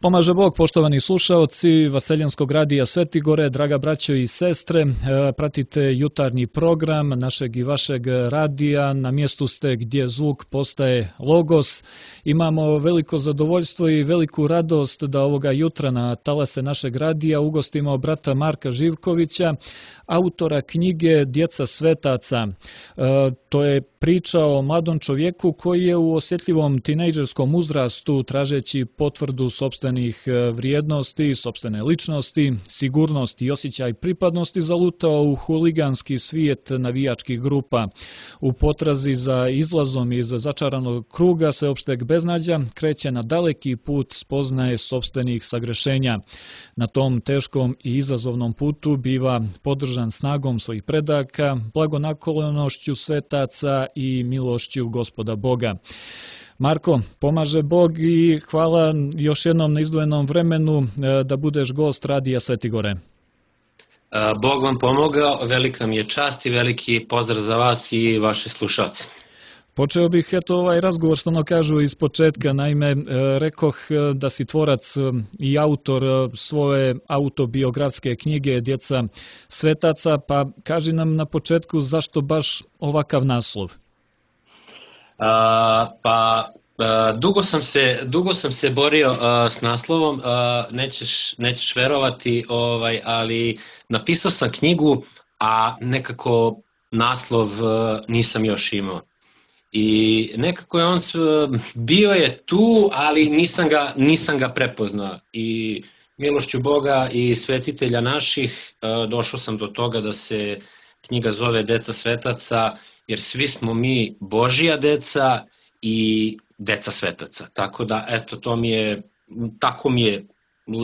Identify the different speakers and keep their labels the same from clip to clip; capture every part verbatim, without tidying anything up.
Speaker 1: Pomaže Bog, poštovani slušaoci Vaseljenskog radija Svetigore, draga braćo i sestre, pratite jutarnji program našeg i vašeg radija, na mjestu ste gdje zvuk postaje logos. Imamo veliko zadovoljstvo i veliku radost da ovoga jutra na talase našeg radija ugostimo brata Marka Živkovića, autora knjige Djeca svetaca. To je priča o mladom čovjeku koji je u osjetljivom tinejdžerskom uzrastu, tražeći potvrdu sopstvenih vrijednosti, sopstvene ličnosti, sigurnosti i osjećaj pripadnosti, zalutao u huliganski svijet navijačkih grupa. U potrazi za izlazom iz začaranog kruga sveopšteg beznađa kreće na daleki put spoznaje sopstvenih sagrešenja. Na tom teškom i izazovnom putu biva podržan snagom svojih predaka, blagonaklonnošću svetaca i milošću Gospoda Boga. Marko, pomaže Bog i hvala još jednom na izdvojenom vremenu da budeš gost radija Svetigore.
Speaker 2: Bog vam pomogao, velika mi je čast i veliki pozdrav za vas i vaše slušalce.
Speaker 1: Počeo bih eto ovaj razgovor što ono kažu iz početka, naime rekoh da si tvorac i autor svoje autobiografske knjige Djeca svetaca, pa kaži nam na početku zašto baš ovakav naslov?
Speaker 2: A, pa a, dugo sam se dugo sam se borio a, s naslovom, a, nećeš nećeš verovati, ovaj ali napisao sam knjigu, a nekako naslov a, nisam još imao. I nekako je on bio je tu, ali nisam ga nisam ga prepoznao. I milošću Boga i svetitelja naših a, došao sam do toga da se knjiga zove Djeca svetaca, jer svi smo mi Božja deca i deca svetaca. Tako da, eto, to mi je, tako mi je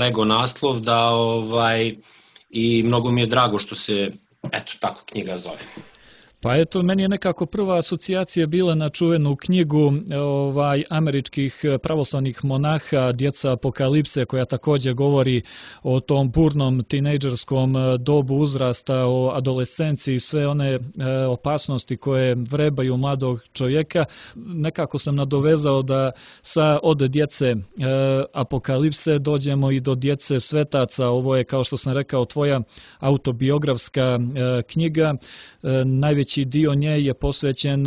Speaker 2: lego naslov da, ovaj, i mnogo mi je drago što se, eto, tako knjiga zove.
Speaker 1: Pa eto, meni je nekako prva asocijacija bila na čuvenu knjigu ovaj, američkih pravoslavnih monaha Djeca apokalipse, koja također govori o tom burnom tinejdžerskom dobu uzrasta, o adolescenciji, sve one e, opasnosti koje vrebaju mladog čovjeka. Nekako sam nadovezao da sa od djece e, apokalipse dođemo i do djece svetaca. Ovo je, kao što sam rekao, tvoja autobiografska e, knjiga. E, najveći dio nje je posvećen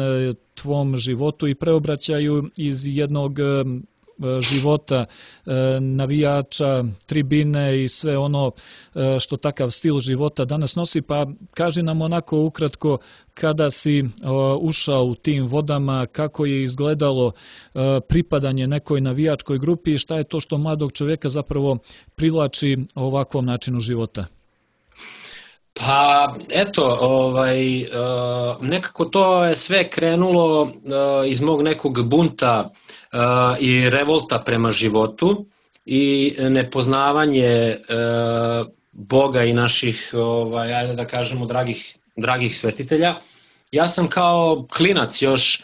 Speaker 1: tvom životu i preobraćaju iz jednog života navijača, tribine i sve ono što takav stil života danas nosi. Pa kaži nam onako ukratko, kada si ušao u tim vodama, kako je izgledalo pripadanje nekoj navijačkoj grupi i šta je to što mladog čovjeka zapravo privlači ovakvom načinu života?
Speaker 2: Pa eto, ovaj, nekako to je sve krenulo iz mog nekog bunta i revolta prema životu i nepoznavanje Boga i naših, ovaj, ajde da kažemo, dragih, dragih svetitelja. Ja sam kao klinac još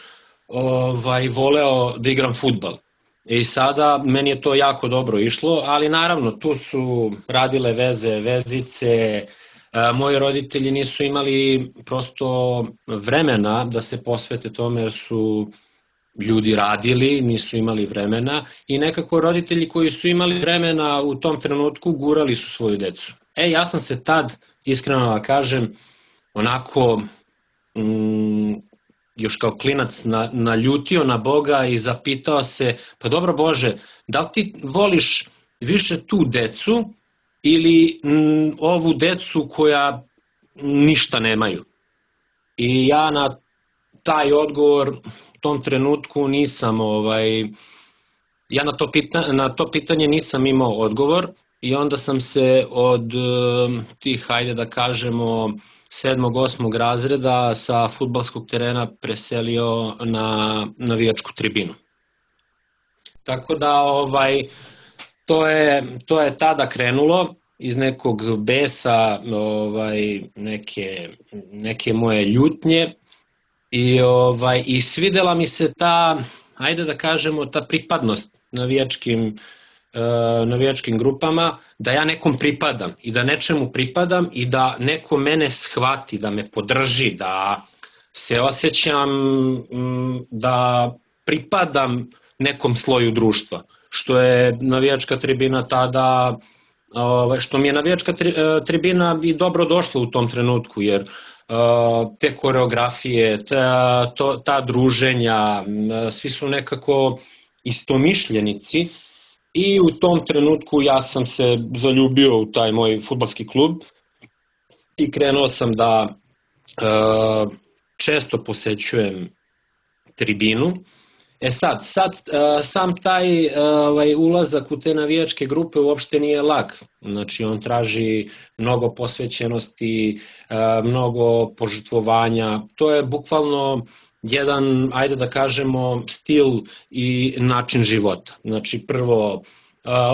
Speaker 2: ovaj, voleo da igram fudbal. I sada meni je to jako dobro išlo, ali naravno tu su radile veze, vezice. Moji roditelji nisu imali prosto vremena da se posvete tome, jer su ljudi radili, nisu imali vremena i nekako roditelji koji su imali vremena u tom trenutku gurali su svoju decu. E, ja sam se tad, iskreno da kažem, onako mm, još kao klinac na, naljutio na Boga i zapitao se, pa dobro Bože, da li ti voliš više tu decu ili m, ovu decu koja ništa nemaju? I ja na taj odgovor u tom trenutku nisam, ovaj, ja na to, pita, na to pitanje nisam imao odgovor i onda sam se od tih, hajde da kažemo, sedmog, osmog razreda sa fudbalskog terena preselio na navijačku tribinu. Tako da, ovaj, To je, to je tada krenulo iz nekog besa, ovaj, neke, neke moje ljutnje i, ovaj, i svidela mi se ta, ajde da kažemo, ta pripadnost navijačkim, uh, navijačkim grupama, da ja nekom pripadam i da nečemu pripadam i da neko mene shvati, da me podrži, da se osjećam m, da pripadam nekom sloju društva. što je navijačka tribina tada, što mi je navijačka tribina i dobro došla u tom trenutku, jer te koreografije, ta, to, ta druženja, svi su nekako istomišljenici i u tom trenutku ja sam se zaljubio u taj moj fudbalski klub i krenuo sam da e, često posećujem tribinu. E sad, sad sam taj ovaj, ulazak u te navijačke grupe uopšte nije lak, znači on traži mnogo posvećenosti, mnogo požrtvovanja, to je bukvalno jedan, ajde da kažemo, stil i način života. Znači prvo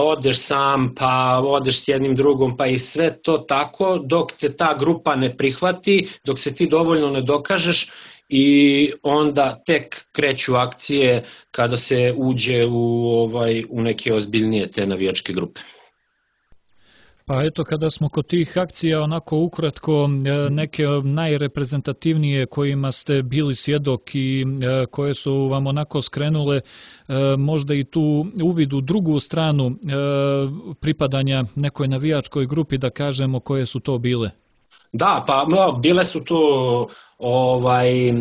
Speaker 2: odeš sam, pa odeš s jednim drugom, pa i sve to tako dok te ta grupa ne prihvati, dok se ti dovoljno ne dokažeš i onda tek kreću akcije kada se uđe u, ovaj, u neke ozbiljnije te navijačke grupe.
Speaker 1: Pa eto, kada smo kod tih akcija, onako ukratko, neke najreprezentativnije kojima ste bili svjedok i koje su vam onako skrenule, možda i tu uvid u drugu stranu pripadanja nekoj navijačkoj grupi, da kažemo, koje su to bile?
Speaker 2: Da, pa no, bile su tu ovaj,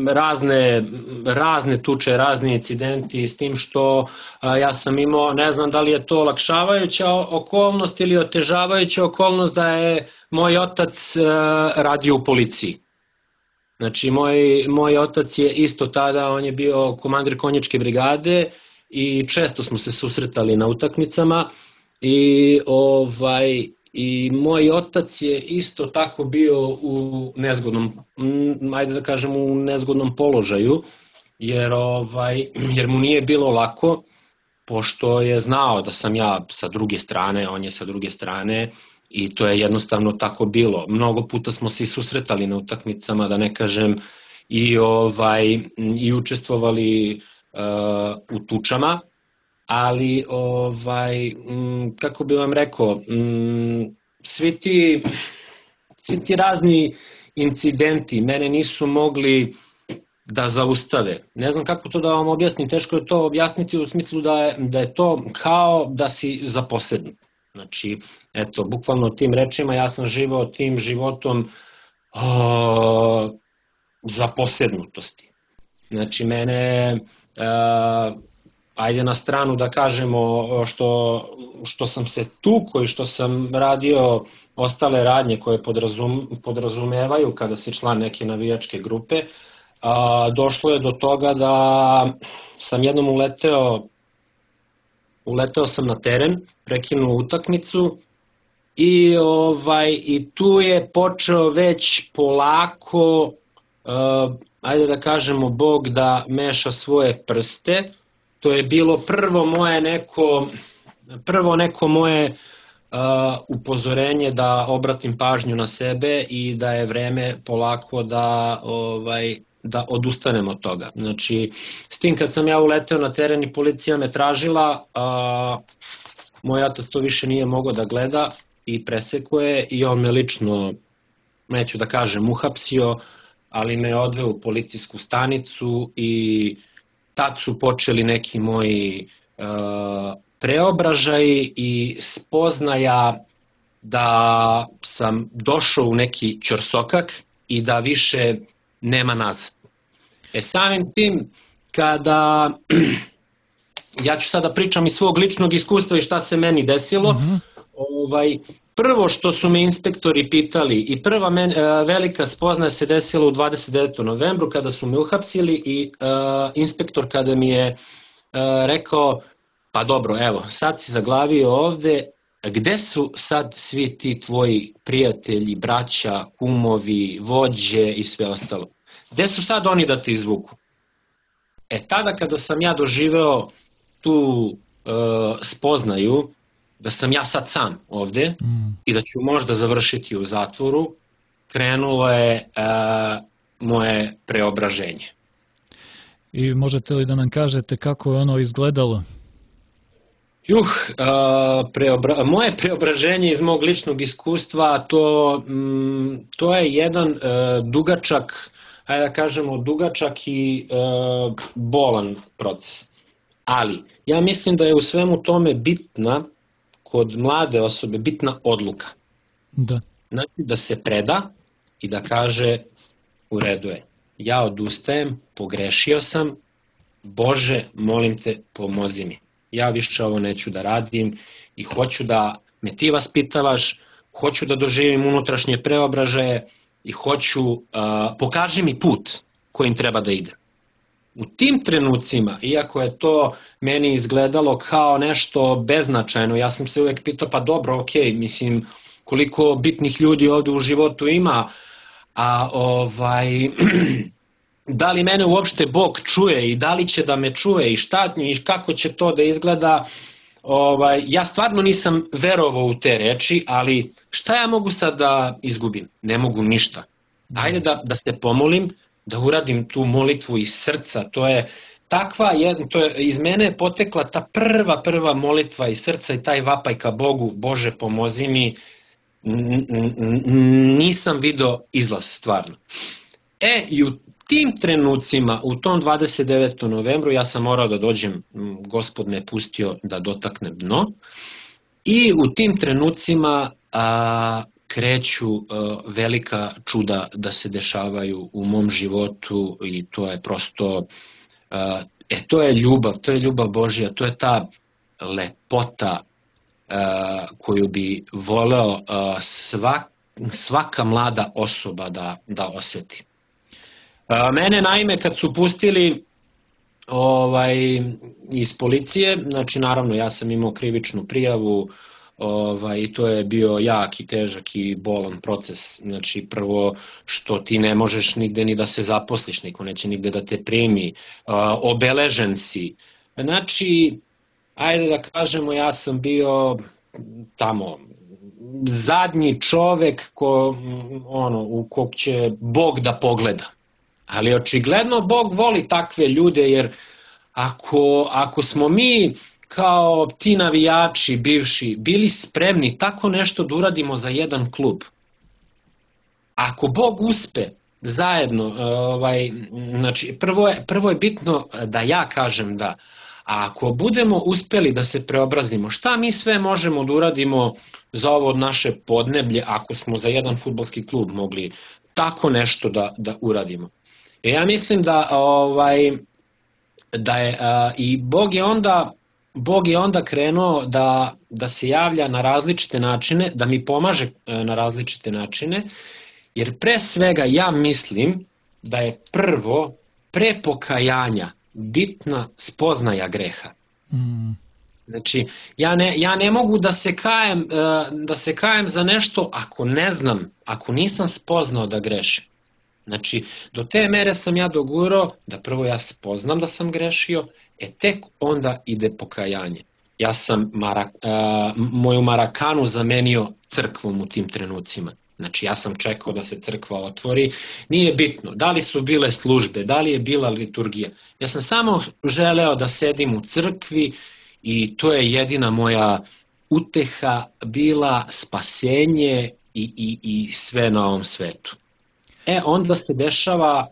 Speaker 2: razne, razne tuče, razni incidenti s tim što a, ja sam imao, ne znam da li je to olakšavajuća okolnost ili otežavajuća okolnost da je moj otac a, radio u policiji. Znači moj, moj otac je isto tada, on je bio komandir konjičke brigade i često smo se susretali na utakmicama i ovaj I moj otac je isto tako bio u nezgodnom, ajde da kažem u nezgodnom položaju, jer, ovaj, jer mu nije bilo lako, pošto je znao da sam ja sa druge strane, on je sa druge strane i to je jednostavno tako bilo. Mnogo puta smo se i susretali na utakmicama, da ne kažem, i, ovaj, i učestvovali uh, u tučama. Ali, ovaj, kako bi vam rekao, svi ti, svi ti razni incidenti mene nisu mogli da zaustave. Ne znam kako to da vam objasnim, teško je to objasniti u smislu da je, da je to kao da si zaposednut. Znači, eto, bukvalno tim rečima ja sam živao tim životom o, zaposednutosti. Znači, mene... O, ajde na stranu da kažemo što, što sam se tukao i što sam radio ostale radnje koje podrazum, podrazumevaju kada si član neke navijačke grupe, a, došlo je do toga da sam jednom uleteo, uleteo sam na teren, prekinuo utakmicu i, ovaj, i tu je počeo već polako, a, ajde da kažemo, Bog da meša svoje prste. To je bilo prvo moje neko, prvo neko moje uh, upozorenje da obratim pažnju na sebe i da je vreme polako da, ovaj, da odustanem od toga. Znači, s tim kad sam ja uleteo na teren i policija me tražila, uh, moj otac to više nije mogao da gleda i presekuje i on me lično, neću da kažem, uhapsio, ali me odveo u policijsku stanicu i tad su počeli neki moji uh, preobražaji i spoznaja da sam došao u neki ćorsokak i da više nema nazad. E samim tim, kada ja ću sada pričam iz svog ličnog iskustva i šta se meni desilo, mm-hmm. ovaj, prvo što su me inspektori pitali i prva men, velika spoznaja se desila u dvadeset devetom novembru kada su me uhapsili i uh, inspektor kada mi je uh, rekao, pa dobro, evo, sad si zaglavio ovde, gde su sad svi ti tvoji prijatelji, braća, kumovi, vođe i sve ostalo? Gde su sad oni da te izvuku? E tada kada sam ja doživeo tu uh, spoznaju, da sam ja sad sam ovde mm. i da ću možda završiti u zatvoru, krenulo je uh, moje preobraženje.
Speaker 1: I možete li da nam kažete kako je ono izgledalo?
Speaker 2: Juh, uh, preobra... moje preobraženje iz mog ličnog iskustva, to, mm, to je jedan uh, dugačak, ajde da kažemo dugačak i uh, bolan proces. Ali, ja mislim da je u svemu tome bitna, kod mlade osobe, bitna odluka.
Speaker 1: Da.
Speaker 2: Znači da se preda i da kaže u redu je, ja odustajem, pogrešio sam, Bože, molim te, pomozi mi. Ja više ovo neću da radim i hoću da me ti vaspitavaš, hoću da doživim unutrašnje preobražaje i hoću, uh, pokaži mi put kojim treba da idem. U tim trenucima, iako je to meni izgledalo kao nešto beznačajno, ja sam se uvek pitao, pa dobro, ok, mislim, koliko bitnih ljudi ovde u životu ima, a ovaj, da li mene uopšte Bog čuje i da li će da me čuje i šta i kako će to da izgleda, ovaj, ja stvarno nisam verovao u te reči, ali šta ja mogu sad da izgubim? Ne mogu ništa. Ajde da, da se pomolim, da uradim tu molitvu iz srca, to je takva, to je, iz mene je potekla ta prva, prva molitva iz srca i taj vapaj ka Bogu, Bože pomozi mi, nisam video izlaz stvarno. E, i u tim trenucima, u tom dvadeset devetom novembru, ja sam morao da dođem, Gospod me pustio da dotaknem dno, i u tim trenucima a, kreću a, velika čuda da se dešavaju u mom životu i to je prosto, a, e, to je ljubav, to je ljubav Božja, to je ta lepota a, koju bi voleo a, svak, svaka mlada osoba da, da osjeti. A, mene naime kad su pustili ovaj, iz policije, znači naravno ja sam imao krivičnu prijavu, ovaj, i to je bio jak i težak i bolan proces, znači prvo što ti ne možeš nigde ni da se zaposliš, niko neće nigde da te primi, a, obeležen si, znači ajde da kažemo ja sam bio tamo zadnji čovek ko, ono, u kog će Bog da pogleda. Ali očigledno Bog voli takve ljude, jer ako, ako smo mi kao ti navijači bivši bili spremni tako nešto da uradimo za jedan klub, ako Bog uspe zajedno, ovaj, znači prvo je, prvo je bitno da ja kažem da, a ako budemo uspeli da se preobrazimo, šta mi sve možemo da uradimo za ovo naše podneblje ako smo za jedan fudbalski klub mogli tako nešto da, da uradimo. E ja mislim da ovaj da je a, i Bog je onda Bog je onda krenuo da da se javlja na različite načine, da mi pomaže na različite načine, jer pre svega ja mislim da je prvo pre pokajanja bitna spoznaja greha.
Speaker 1: Mm.
Speaker 2: Znači ja ne ja ne mogu da se kajem da se kajem za nešto ako ne znam, ako nisam spoznao da grešim. Znači, do te mere sam ja dogurao da prvo ja spoznam da sam grešio, e tek onda ide pokajanje. Ja sam marak, a, moju Marakanu zamenio crkvom u tim trenucima. Znači, ja sam čekao da se crkva otvori. Nije bitno da li su bile službe, da li je bila liturgija. Ja sam samo želeo da sedim u crkvi i to je jedina moja uteha bila, spasenje i, i, i sve na ovom svetu. E, onda se dešava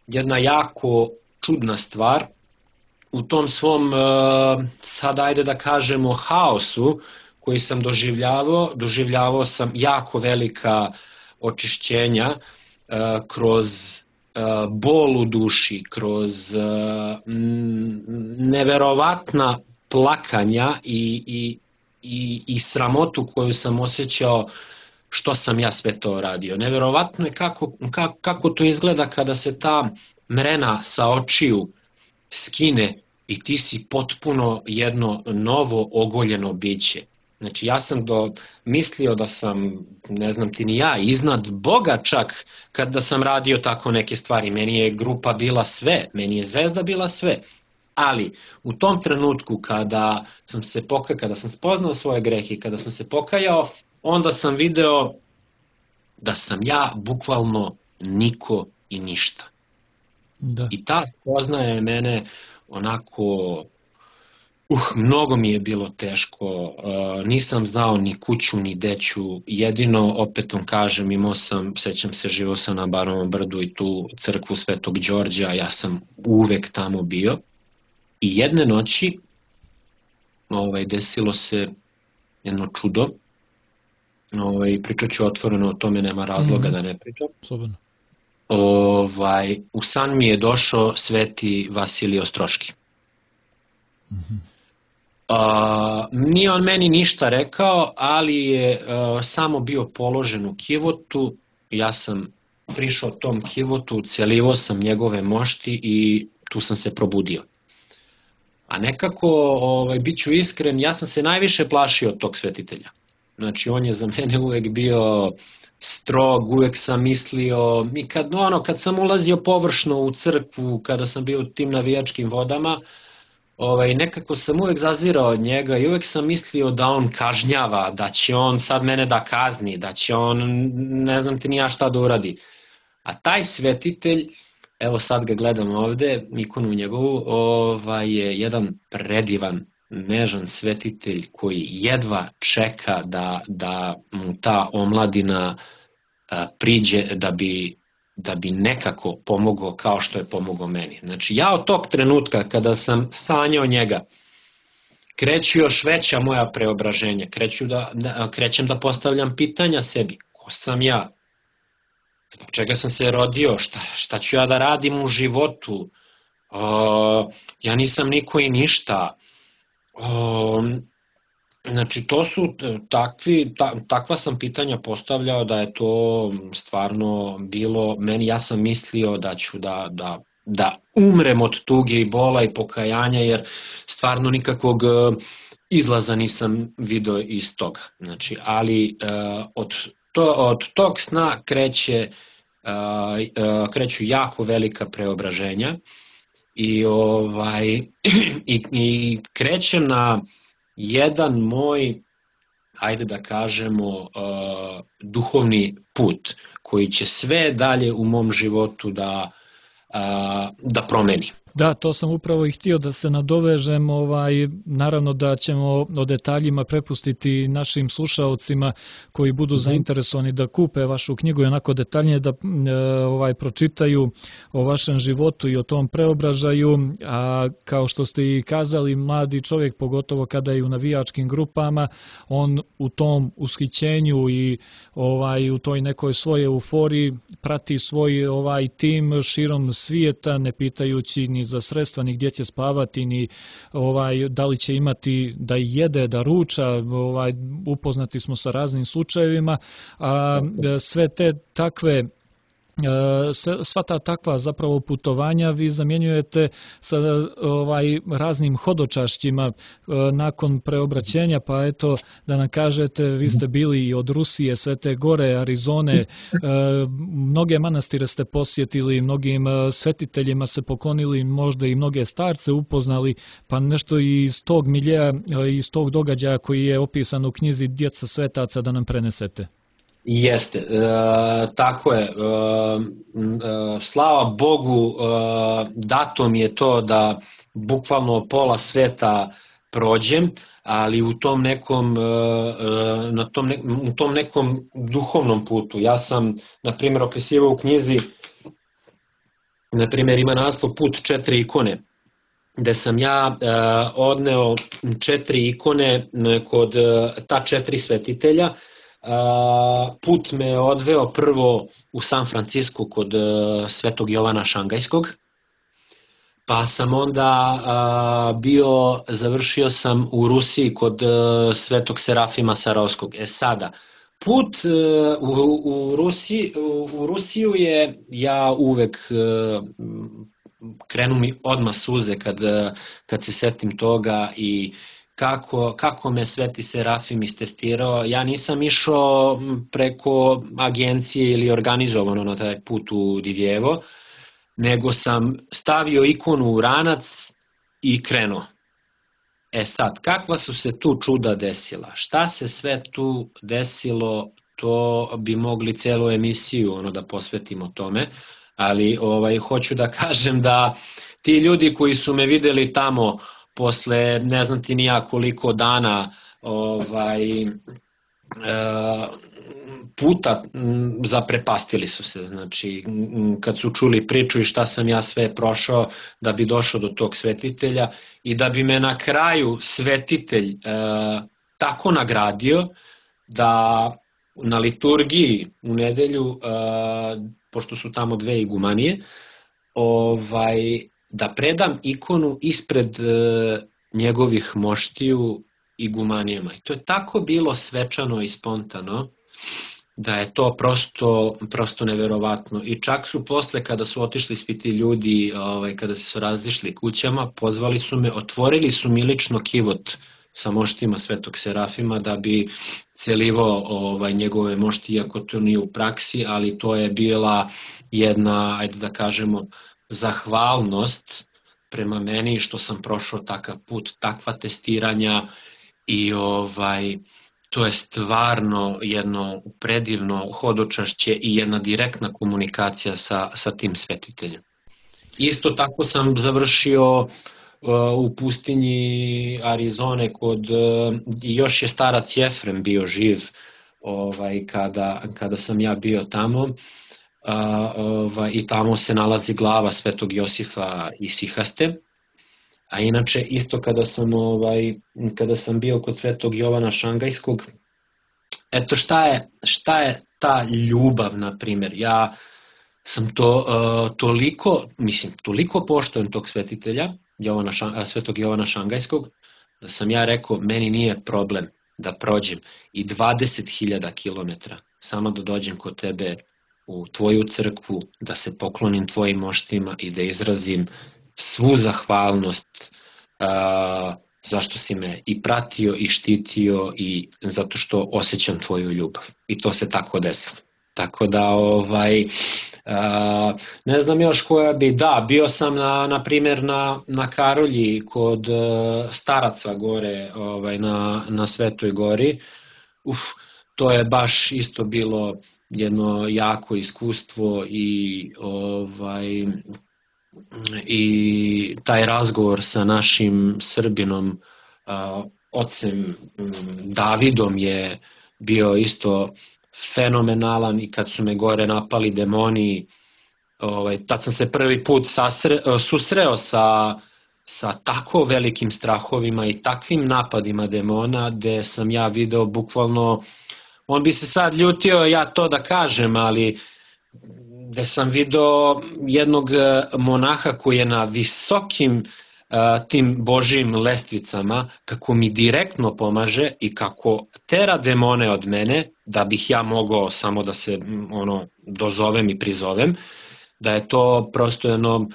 Speaker 2: jedna jako čudna stvar u tom svom, sad ajde da kažemo, haosu koji sam doživljavao, doživljavao sam jako velika očišćenja kroz bol u duši, kroz neverovatna plakanja i, i, i, i sramotu koju sam osjećao što sam ja sve to radio. Neverovatno je kako, kako, kako to izgleda kada se ta mrena sa očiju skine i ti si potpuno jedno novo ogoljeno biće. Znači ja sam do, mislio da sam, ne znam ti ni ja, iznad Boga čak kada sam radio tako neke stvari. Meni je grupa bila sve, meni je zvezda bila sve. Ali u tom trenutku kada sam se pokajao, kada sam spoznao svoje grehe, kada sam se pokajao, onda sam video da sam ja bukvalno niko i ništa.
Speaker 1: Da.
Speaker 2: I ta spoznaja je mene onako, uh, mnogo mi je bilo teško, uh, nisam znao ni kuću ni deću, jedino opet vam kažem, imao sam, sećam se, živao sam na Barovom brdu i tu crkvu Svetog Đorđa, ja sam uvek tamo bio. I jedne noći ovaj, desilo se jedno čudo. Ovaj, pričat ću otvoreno, o tome nema razloga mm-hmm. da ne pričam.
Speaker 1: Slobodno.
Speaker 2: Ovaj, u san mi je došao sveti Vasilij Ostroški. Mm-hmm. A, nije on meni ništa rekao, ali je a, samo bio položen u kivotu. Ja sam prišao tom kivotu, celivo sam njegove mošti i tu sam se probudio. A nekako, ovaj, bit ću iskren, ja sam se najviše plašio od tog svetitelja. Znači, on je za mene uvek bio strog, uvek sam mislio, i kad, ono, kad sam ulazio površno u crkvu, kada sam bio u tim navijačkim vodama, ovaj, nekako sam uvek zazirao od njega i uvek sam mislio da on kažnjava, da će on sad mene da kazni, da će on, ne znam ti ni ja šta da uradi. A taj svetitelj, evo sad ga gledam ovde, ikonu njegovu, ovaj, je jedan predivan, nežan svetitelj koji jedva čeka da, da mu ta omladina a, priđe da bi, da bi nekako pomogao kao što je pomogao meni. Znači ja od tog trenutka kada sam sanjao njega, kreću još veća moja preobraženja, kreću da, da, krećem da postavljam pitanja sebi, ko sam ja? Zbog čega sam se rodio, šta, šta ću ja da radim u životu, o, ja nisam niko i ništa. O, znači to su takvi, ta, takva sam pitanja postavljao da je to stvarno bilo, meni ja sam mislio da ću da, da, da umrem od tuge i bola i pokajanja jer stvarno nikakvog izlaza nisam video iz toga. Znači, ali uh, od To, od tog sna kreće, uh, kreću jako velika preobraženja i, ovaj, i, i krećem na jedan moj, ajde da kažemo, uh, duhovni put koji će sve dalje u mom životu da, uh, da promeni.
Speaker 1: Da, to sam upravo i htio da se nadovežem, ovaj, naravno da ćemo o detaljima prepustiti našim slušaocima koji budu mm-hmm. zainteresovani da kupe vašu knjigu i onako detaljnije da e, ovaj, pročitaju o vašem životu i o tom preobražaju, a kao što ste i kazali, mladi čovjek, pogotovo kada je u navijačkim grupama, on u tom ushićenju i ovaj, u toj nekoj svojoj euforiji prati svoj ovaj tim širom svijeta, ne pitajući ni za sredstva, ni gdje će spavati, ni ovaj, da li će imati da jede, da ruča, ovaj, upoznati smo sa raznim slučajevima, a sve te takve sva ta takva zapravo putovanja vi zamjenjujete sa ovaj raznim hodočašćima nakon preobraćenja, pa eto da nam kažete, vi ste bili i od Rusije, Svete Gore, Arizone, mnoge manastire ste posjetili, mnogim svetiteljima se poklonili, možda i mnoge starce upoznali, pa nešto iz tog miljeja, iz tog događaja koji je opisan u knjizi Djeca svetaca da nam prenesete.
Speaker 2: Jeste, e, tako je, e, e, slava Bogu, e, dato mi je to da bukvalno pola sveta prođem, ali u tom nekom, e, na tom, ne, u tom nekom duhovnom putu. Ja sam, na primjer, opisivao u knjizi, na primjer, ima naslov Put četiri ikone, gde sam ja e, odneo četiri ikone kod e, ta četiri svetitelja. Uh, put me odveo prvo u San Francisco kod uh, Svetog Jovana Šangajskog, pa sam onda uh, bio, završio sam u Rusiji kod uh, Svetog Serafima Sarovskog. E sada, put uh, u, u, Rusiji, u, u Rusiju je, ja uvek uh, krenu mi odmah suze kad, kad se setim toga i Kako, kako me Sveti Serafim istestirao. Ja nisam išao preko agencije ili organizovano na taj put u Divjevo, nego sam stavio ikonu u ranac i krenuo. E sad, kakva su se tu čuda desila? Šta se sve tu desilo, to bi mogli celu emisiju ono da posvetimo tome, ali ovaj, hoću da kažem da ti ljudi koji su me videli tamo posle ne znam ti ni ja koliko dana ovaj, puta zaprepastili su se, znači kad su čuli priču i šta sam ja sve prošao da bi došao do tog svetitelja i da bi me na kraju svetitelj tako nagradio da na liturgiji u nedelju, pošto su tamo dve igumanije, ovaj, da predam ikonu ispred njegovih moštiju igumanijama. I to je tako bilo svečano i spontano, da je to prosto, prosto neverovatno. I čak su posle, kada su otišli svi ti ljudi, ovaj, kada su razišli kućama, pozvali su me, otvorili su mi lično kivot sa moštima Svetog Serafima da bi celivao ovaj, njegove mošti, iako to nije u praksi, ali to je bila jedna, ajde da kažemo, zahvalnost prema meni što sam prošao takav put, takva testiranja i ovaj, to je stvarno jedno predivno hodočašće i jedna direktna komunikacija sa, sa tim svetiteljem. Isto tako sam završio u pustinji Arizone kod, još je starac Jefrem bio živ ovaj, kada, kada sam ja bio tamo, a, ovaj, i tamo se nalazi glava Svetog Josifa Isihaste. A inače isto kada sam, ovaj, kada sam bio kod Svetog Jovana Šangajskog, eto šta je, šta je ta ljubav, na primjer, ja sam to uh, toliko, mislim, toliko poštujem tog svetitelja, Jovana, Svetog Jovana Šangajskog, da sam ja rekao, meni nije problem da prođem i dvadeset hiljada kilometara, samo da dođem kod tebe u tvoju crkvu, da se poklonim tvojim moštima i da izrazim svu zahvalnost uh, zašto si me i pratio i štitio i zato što osjećam tvoju ljubav. I to se tako desilo. Tako da, ovaj, uh, ne znam još koja bi, da, bio sam na, na primjer na, na Karolji kod uh, staraca gore, ovaj, na, na Svetoj gori. Uf, to je baš isto bilo jedno jako iskustvo i ovaj, i taj razgovor sa našim Srbinom, uh, ocem Davidom je bio isto fenomenalan i kad su me gore napali demoni, ovaj, tad sam se prvi put sasre, susreo sa, sa tako velikim strahovima i takvim napadima demona, gde sam ja video bukvalno, on bi se sad ljutio ja to da kažem, ali gde sam video jednog monaha koji je na visokim tim Božijim lestvicama, kako mi direktno pomaže i kako tera demone od mene, da bih ja mogao samo da se ono dozovem i prizovem, da je to prosto jedno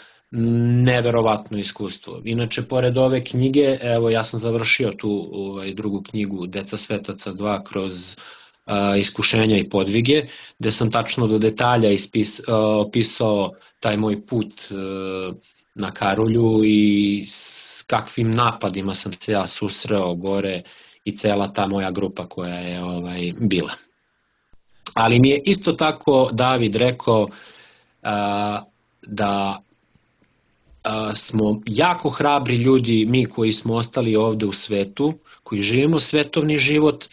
Speaker 2: neverovatno iskustvo. Inače, pored ove knjige, evo ja sam završio tu ovaj, drugu knjigu Deca svetaca dva kroz uh, iskušenja i podvige, gde sam tačno do detalja ispis, uh, opisao taj moj put uh, na Karolju i s kakvim napadima sam se ja susreo gore i cela ta moja grupa koja je ovaj, bila. Ali mi je isto tako David rekao uh, da uh, smo jako hrabri ljudi, mi koji smo ostali ovde u svetu, koji živimo svetovni život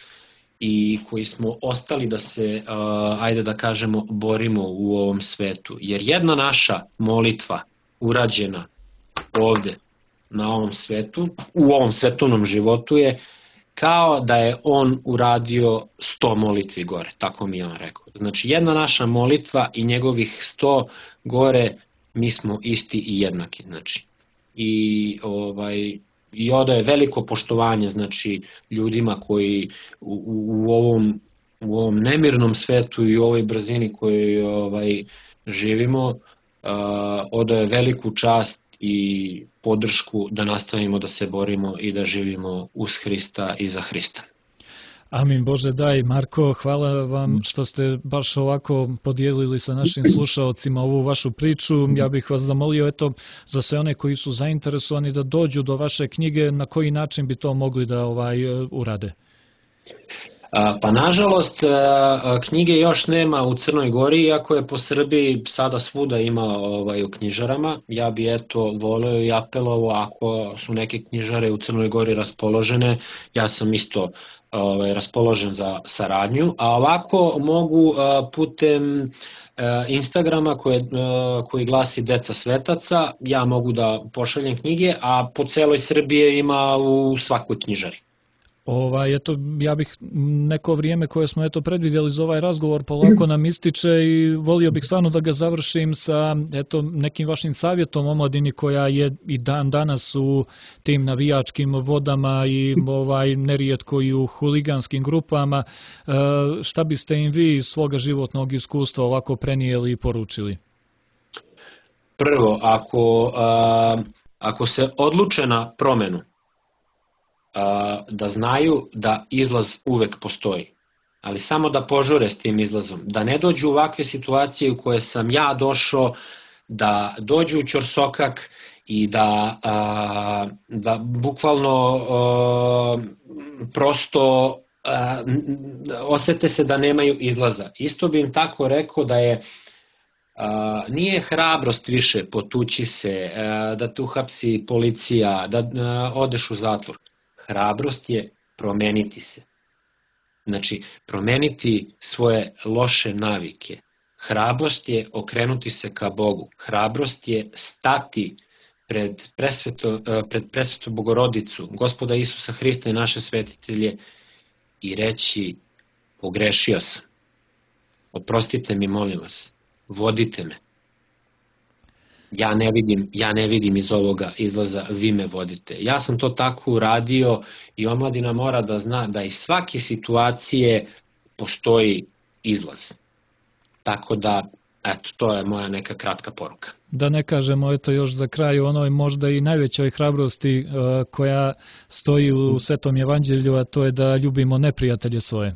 Speaker 2: i koji smo ostali da se, uh, ajde da kažemo, borimo u ovom svetu. Jer jedna naša molitva urađena ovde na ovom svetu, u ovom svetovnom životu je kao da je on uradio sto molitvi gore, tako mi je on rekao. Znači jedna naša molitva i njegovih sto gore, mi smo isti i jednaki. Znači. I, ovaj, i odaje veliko poštovanje znači, ljudima koji u, u, ovom, u ovom nemirnom svetu i u ovoj brzini koju ovaj, živimo, uh, odaje veliku čast i podršku da nastavimo da se borimo i da živimo uz Hrista i za Hrista.
Speaker 1: Amin Bože daj. Marko, hvala vam što ste baš ovako podijelili sa našim slušaocima ovu vašu priču. Ja bih vas zamolio eto, za sve one koji su zainteresovani da dođu do vaše knjige, na koji način bi to mogli da ovaj urade?
Speaker 2: Pa nažalost knjige još nema u Crnoj Gori, iako je po Srbiji sada svuda ima ovaj, u knjižarama. Ja bi eto voleo i apelovao ako su neke knjižare u Crnoj Gori raspoložene, ja sam isto ovaj, raspoložen za saradnju, a ovako mogu putem Instagrama koje, koji glasi Deca svetaca, ja mogu da pošaljem knjige, a po celoj Srbiji ima u svakoj knjižari.
Speaker 1: Ovaj, eto, ja bih neko vrijeme koje smo eto predvidjeli za ovaj razgovor polako nam ističe i volio bih stvarno da ga završim sa eto, nekim vašim savjetom omladini koja je i dan danas u tim navijačkim vodama i ovaj, nerijetko i u huliganskim grupama. E, šta biste im vi iz svoga životnog iskustva ovako prenijeli i poručili?
Speaker 2: Prvo, ako, a, ako se odluče na promenu, da znaju da izlaz uvek postoji, ali samo da požure s tim izlazom, da ne dođu u ovakve situacije u koje sam ja došao, da dođu u ćorsokak i da, da bukvalno prosto osete se da nemaju izlaza. Isto bi im tako rekao da je nije hrabrost više potući se, da te uhapsi policija, da odeš u zatvor. Hrabrost je promeniti se. Znači, promeniti svoje loše navike. Hrabrost je okrenuti se ka Bogu. Hrabrost je stati pred presveto, pred presvetu Bogorodicu, Gospoda Isusa Hrista i naše svetitelje i reći: pogrešio sam. Oprostite mi, molim vas. Vodite me. Ja ne vidim, ja ne vidim iz ovoga izlaza, vi me vodite. Ja sam to tako uradio i omladina mora da zna da iz svake situacije postoji izlaz. Tako da, eto, to je moja neka kratka poruka.
Speaker 1: Da ne kažemo, eto još za kraj, onoj možda i najvećoj hrabrosti uh, koja stoji u Svetom evanđelju, a to je da ljubimo neprijatelje svoje.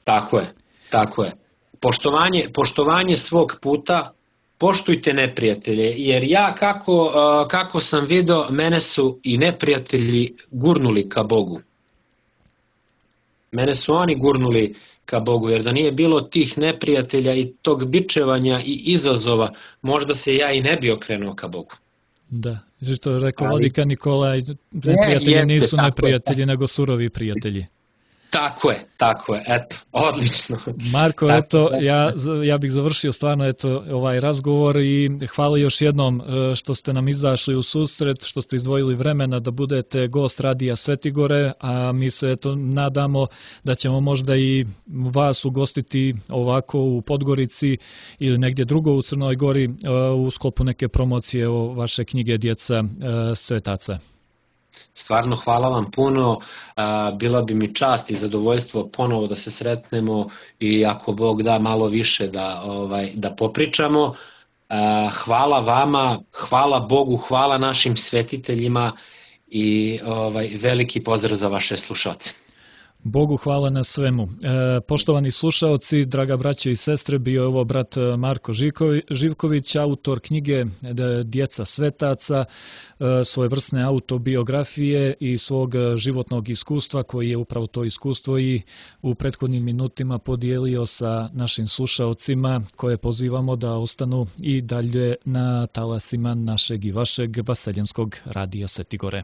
Speaker 2: Tako je, tako je. Poštovanje, poštovanje svog puta, poštujte neprijatelje, jer ja kako, kako sam video, mene su i neprijatelji gurnuli ka Bogu. Mene su oni gurnuli ka Bogu, jer da nije bilo tih neprijatelja i tog bičevanja i izazova, možda se ja i ne bi okrenuo ka Bogu.
Speaker 1: Da, što je rekao vladika Nikolaj, neprijatelji nisu neprijatelji, nego surovi prijatelji.
Speaker 2: Tako je, tako je, eto, odlično.
Speaker 1: Marko, tako, eto, ja, ja bih završio stvarno eto, ovaj razgovor i hvala još jednom što ste nam izašli u susret, što ste izdvojili vremena da budete gost Radija Svetigore, a mi se eto, nadamo da ćemo možda i vas ugostiti ovako u Podgorici ili negdje drugo u Crnoj Gori u sklopu neke promocije o vaše knjige Djeca svetaca.
Speaker 2: Stvarno hvala vam puno, bila bi mi čast i zadovoljstvo ponovo da se sretnemo i ako Bog da malo više da, ovaj, da popričamo. Hvala vama, hvala Bogu, hvala našim svetiteljima i ovaj, veliki pozdrav za vaše slušalce.
Speaker 1: Bogu hvala na svemu. E, poštovani slušaoci, draga braćo i sestre, bio je ovo brat Marko Živković, autor knjige Djeca svetaca, e, svojevrsne autobiografije i svog životnog iskustva, koji je upravo to iskustvo i u prethodnim minutima podijelio sa našim slušaocima, koje pozivamo da ostanu i dalje na talasima našeg i vašeg vaseljenskog Radija Svetigore.